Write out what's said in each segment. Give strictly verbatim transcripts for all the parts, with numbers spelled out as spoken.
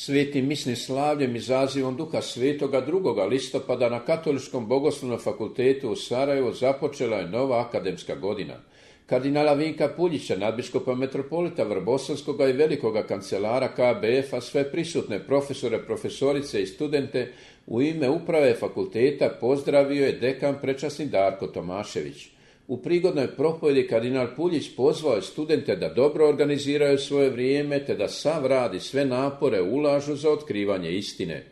Svetim misnim slavljem i zazivom Duha Svetoga drugoga listopada na Katoličkom bogoslovnom fakultetu u Sarajevu započela je nova akademska godina. Kardinala Vinka Puljića, nadbiskupa metropolita Vrbosanskoga i velikoga kancelara K B F-a, sve prisutne profesore, profesorice i studente u ime uprave fakulteta pozdravio je dekan prečasni Darko Tomašević. U prigodnoj propovjedi kardinal Puljić pozvao je studente da dobro organiziraju svoje vrijeme te da sav rad i sve napore ulažu za otkrivanje istine.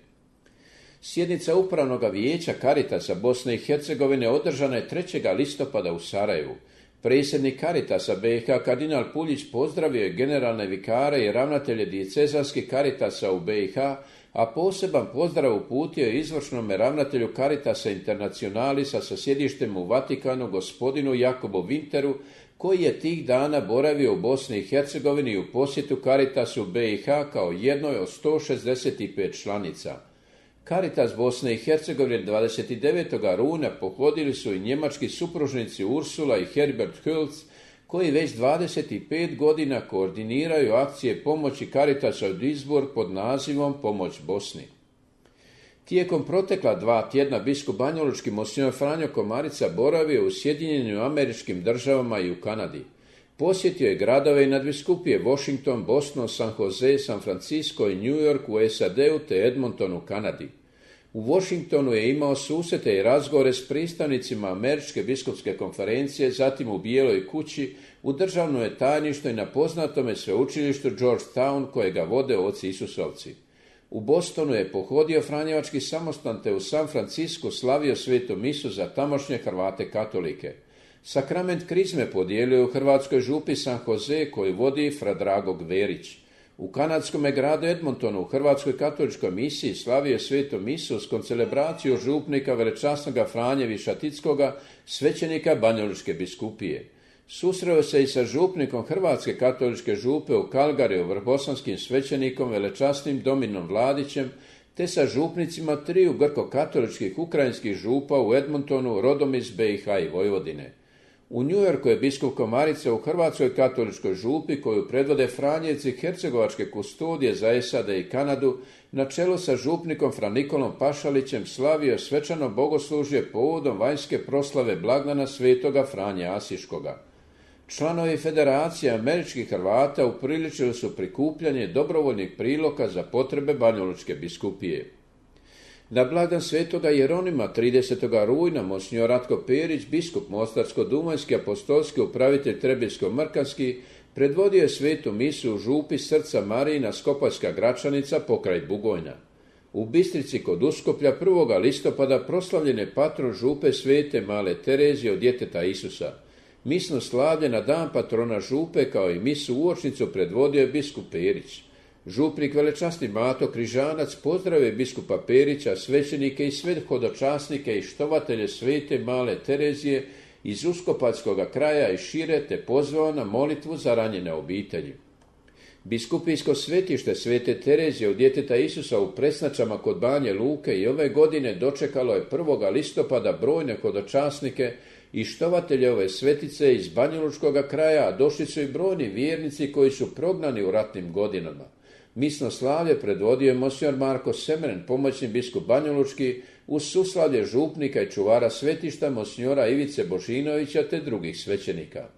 Sjednica Upravnog vijeća Caritasa Bosne i Hercegovine održana je trećeg listopada u Sarajevu. Predsjednik Caritasa B i H kardinal Puljić pozdravio je generalne vikare i ravnatelje dijecezanskih Caritasa u B i H, a poseban pozdrav uputio je izvršnome ravnatelju Caritasa Internationalisa sa sjedištem u Vatikanu gospodinu Jakobu Winteru, koji je tih dana boravio u Bosni i Hercegovini u posjetu Caritasu B i H kao jednoj od sto šezdeset pet članica. Caritas Bosne i Hercegovine dvadeset devetog rujna pohodili su i njemački supružnici Ursula i Herbert Hülz, koji već dvadeset pet godina koordiniraju akcije pomoći Caritasa u Duisburg pod nazivom Pomoć Bosni. Tijekom protekla dva tjedna biskup banjalučki monsignor Franjo Komarica boravio u Sjedinjenim Američkim Državama i u Kanadi. Posjetio je gradove i nadbiskupije Washington, Boston, San Jose, San Francisco i New York u S A D-u te Edmonton u Kanadi. U Washingtonu je imao susrete i razgovore s predstavnicima Američke biskupske konferencije, zatim u Bijeloj kući, u državnom je tajništvu i na poznatome sveučilištu Georgetown kojega vode oci Isusovci. U Bostonu je pohodio Franjevački samostan te u San Francisco slavio svetu misu za tamošnje Hrvate katolike. Sakrament krizme podijelio u hrvatskoj župi San Jose koju vodi fra Drago Gverić. U kanadskom gradu Edmontonu u Hrvatskoj katoličkoj misiji slavio svetu misu s koncelebraciju župnika velečasnoga Franje Višatickoga, svećenika Banjalučke biskupije. Susreo se i sa župnikom Hrvatske katoličke župe u Kalgariju, vrbosanskim svećenikom velečasnim Dominom Vladićem, te sa župnicima triju grko-katoličkih ukrajinskih župa u Edmontonu, rodom iz B i H i Vojvodine. U New Yorku je biskup Komarica u Hrvatskoj katoličkoj župi koju predvode Franjevci Hercegovačke kustodije za S A D i Kanadu na čelu sa župnikom Fra Nikolom Pašalićem slavio svečano bogoslužje povodom vanjske proslave blagdana svetoga Franje Asiškoga. Članovi Federacije američkih Hrvata upriličili su prikupljanje dobrovoljnih priloga za potrebe Banjalučke biskupije. Na blagdan svetoga Jeronima tridesetog rujna monsignor Ratko Perić, biskup Mostarsko-duvanjski apostolski upravitelj Trebinsko-Mrkanski, predvodio je svetu misu u župi Srca Marijina Skopaljska Gračanica pokraj Bugojna. U Bistrici kod Uskoplja prvog listopada proslavljen je patron župe svete Male Terezije od djeteta Isusa. Misno slavlje na dan patrona župe kao i misu uočnicu predvodio je biskup Perić. Župnik velečasni Mato Križanac pozdravio je biskupa Perića, svećenike i sve hodočasnike i štovatelje svete Male Terezije iz Uskopaljskog kraja i šire te pozvao na molitvu za ranjene obitelji. Biskupijsko svetište svete Terezije od djeteta Isusa u Presnačama kod Banje Luke i ove godine dočekalo je prvog listopada brojne hodočasnike i štovatelje ove svetice iz Banjalučkog kraja, a došli su i brojni vjernici koji su prognani u ratnim godinama. Misno slavlje predvodio je monsignor Marko Semren, pomoćni biskup Banjalučki, uz suslavlje župnika i čuvara svetišta monsignora Ivice Božinovića te drugih svećenika.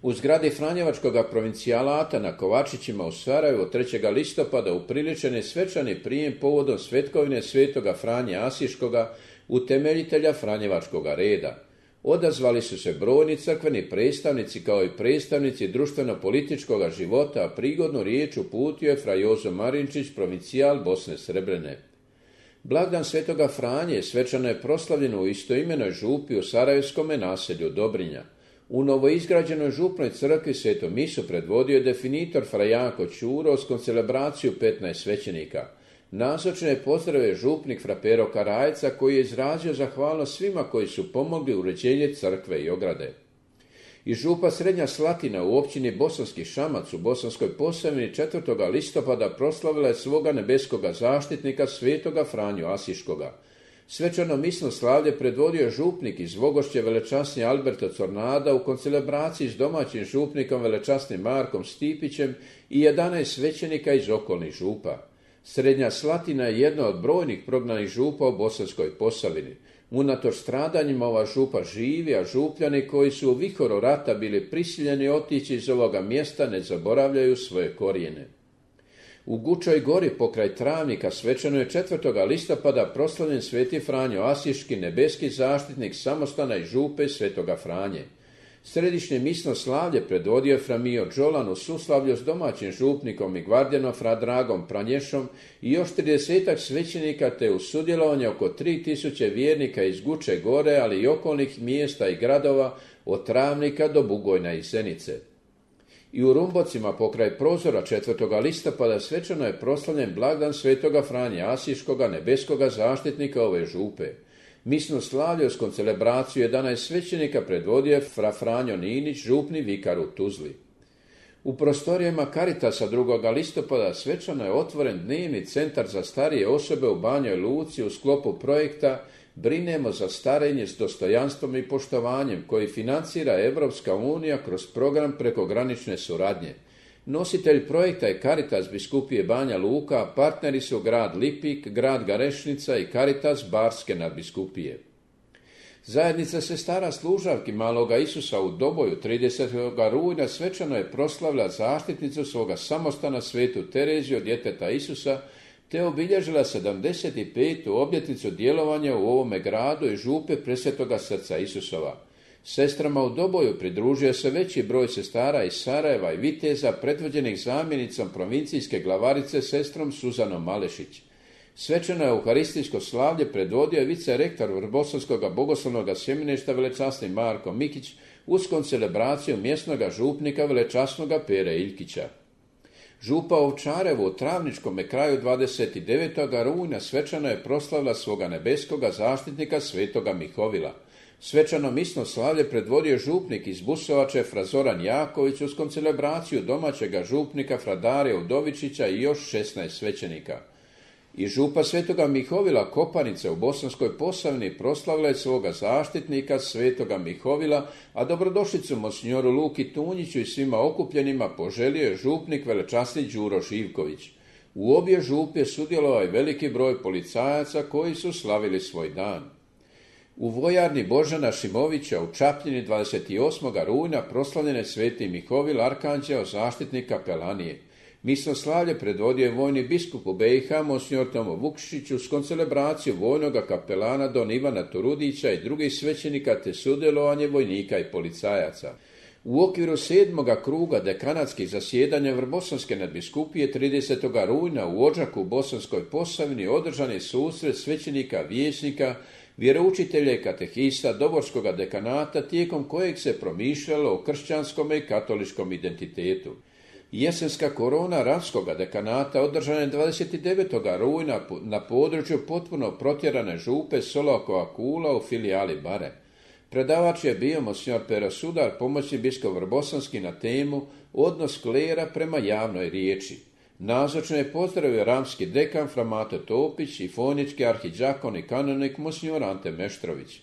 U zgradi Franjevačkog provincijalata na Kovačićima u Sarajevu trećeg listopada upriličen je svečani prijem povodom svetkovine svetoga Franje Asiškoga, utemeljitelja Franjevačkoga reda. Odazvali su se brojni crkveni predstavnici kao i predstavnici društveno-političkog života, a prigodnu riječ uputio je fra Jozo Marinčić, provincijal Bosne Srebrene. Blagdan svetoga Franje svečano je proslavljen u istoimenoj župi u Sarajevskome naselju Dobrinja. U novoizgrađenoj župnoj crkvi svetu misu predvodio je definitor fra Janko Ćuro s koncelebraciju petnaest svećenika. Nazočne je pozdravio župnik fra Pero Karajca koji je izrazio zahvalnost svima koji su pomogli uređenje crkve i ograde. I župa Srednja Slatina u općini Bosanski Šamac u Bosanskoj Posavini četvrtog listopada proslavila je svoga nebeskoga zaštitnika svetoga Franju Asiškoga. Svečano misno slavlje predvodio župnik iz Vogošće velečasni Alberto Cornada u koncelebraciji s domaćim župnikom velečasnim Markom Stipićem i jedanaest svećenika iz okolnih župa. Srednja Slatina je jedna od brojnih prognanih župa u Bosanskoj Posavini. Unatoč stradanjima ova župa živi, a župljani koji su u vihoru rata bili prisiljeni otići iz ovoga mjesta ne zaboravljaju svoje korijene. U Gučoj gori pokraj Travnika svečano je četvrtog listopada proslavljen sveti Franjo Asiški, nebeski zaštitnik samostana i župe svetoga Franje. Središnje misno slavlje predvodio je fra Mio Đolan u suslavlju s domaćim župnikom i gvardijanom fra Dragom Pranješom i još tridesetak svećenika, te u sudjelovanje oko tri tisuće vjernika iz Guče gore, ali i okolnih mjesta i gradova od Travnika do Bugojna i Zenice. I u Rumbocima pokraj prozora četvrtog listopada svečano je proslavljen blagdan svetoga Franje Asiškoga, nebeskoga zaštitnika ove župe. Misno slavlje uz koncelebraciju jedanaest svećenika predvodio je fra Franjo Ninić, župni vikar u Tuzli. U prostorijama Caritasa drugog listopada svečano je otvoren dnevni centar za starije osobe u Banjoj Luci u sklopu projekta Brinemo za starenje s dostojanstvom i poštovanjem, koji financira Evropska unija kroz program prekogranične suradnje. Nositelj projekta je Caritas biskupije Banja Luka, a partneri su grad Lipik, grad Garešnica i Caritas Barske nadbiskupije. Zajednica sestara služavki Maloga Isusa u Doboju tridesetog rujna svečano je proslavila zaštitnicu svoga samostana svetu Tereziju, djeteta Isusa, te obilježila sedamdeset petu obljetnicu djelovanja u ovome gradu i župe Presvetoga srca Isusova. Sestrama u Doboju pridružio se veći broj sestara iz Sarajeva i Viteza, predvođenih zamjenicom provincijske glavarice sestrom Suzanom Malešić. Svečano euharistijsko slavlje predvodio je vicerektor Vrbosanskog bogoslovnog sjemeništa velečasni Marko Mikić uz koncelebraciju mjesnoga župnika velečasnoga Pere Iljkića. Župa Ovčarevo u Travničkome kraju dvadeset devetog rujna svečano je proslavila svoga nebeskoga zaštitnika svetoga Mihovila. Svečano misno slavlje predvodio župnik iz Busovače fra Zoran Jaković uz koncelebraciju domaćega župnika fra Darija Udovičića i još šesnaest svećenika. I župa svetoga Mihovila Kopanica u Bosanskoj Posavini proslavila je svoga zaštitnika svetoga Mihovila, a dobrodošlicu monsinjoru Luki Tunjiću i svima okupljenima poželio je župnik velečasni Đuro Živković. U obje župe sudjelovao je veliki broj policajaca koji su slavili svoj dan. U vojarni Božana Šimovića u Čapljini dvadeset osmog rujna proslavljen je sveti Mihovil Arkanđeo, zaštitnik kapelanije. Misno slavlje predvodio je vojni biskup u B i H, monsinjor Tomo Vukšić, uz koncelebraciju vojnoga kapelana don Ivana Turudića i drugih svećenika, te sudjelovanje vojnika i policajaca. U okviru sedmoga kruga dekanatskih zasjedanja Vrbosanske nadbiskupije tridesetog rujna u Odžaku u Bosanskoj Posavini održan je susret svećenika, vijećnika, vjeroučitelja i katehista Doborskoga dekanata, tijekom kojeg se promišljalo o kršćanskom i katoličkom identitetu. Jesenska korona Ravskoga dekanata održana je dvadeset devetog rujna na području potpuno protjerane župe Solokova Kula u filijali Bare. Predavač je bio monsinjor Pero Sudar, pomoćni biskup Vrbosanski, na temu Odnos klera prema javnoj riječi. Nazočno je pozdravio ramski dekan fra Mato Topić i fonički arhidžakon i kanonik monsinjor Ante Meštrović.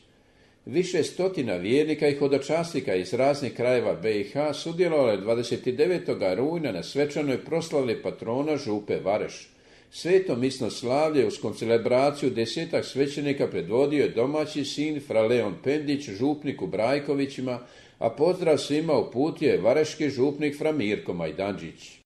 Više stotina vjernika i hodočasnika iz raznih krajeva B i H sudjelovalo je dvadeset devetog rujna na svečanoj proslavi patrona župe Vareš. Sveto misno slavlje uz koncelebraciju desetak svećenika predvodio je domaći sin fra Leon Pendić, župnik u Brajkovićima, a pozdrav svima uputio je vareški župnik fra Mirko Majdanđić.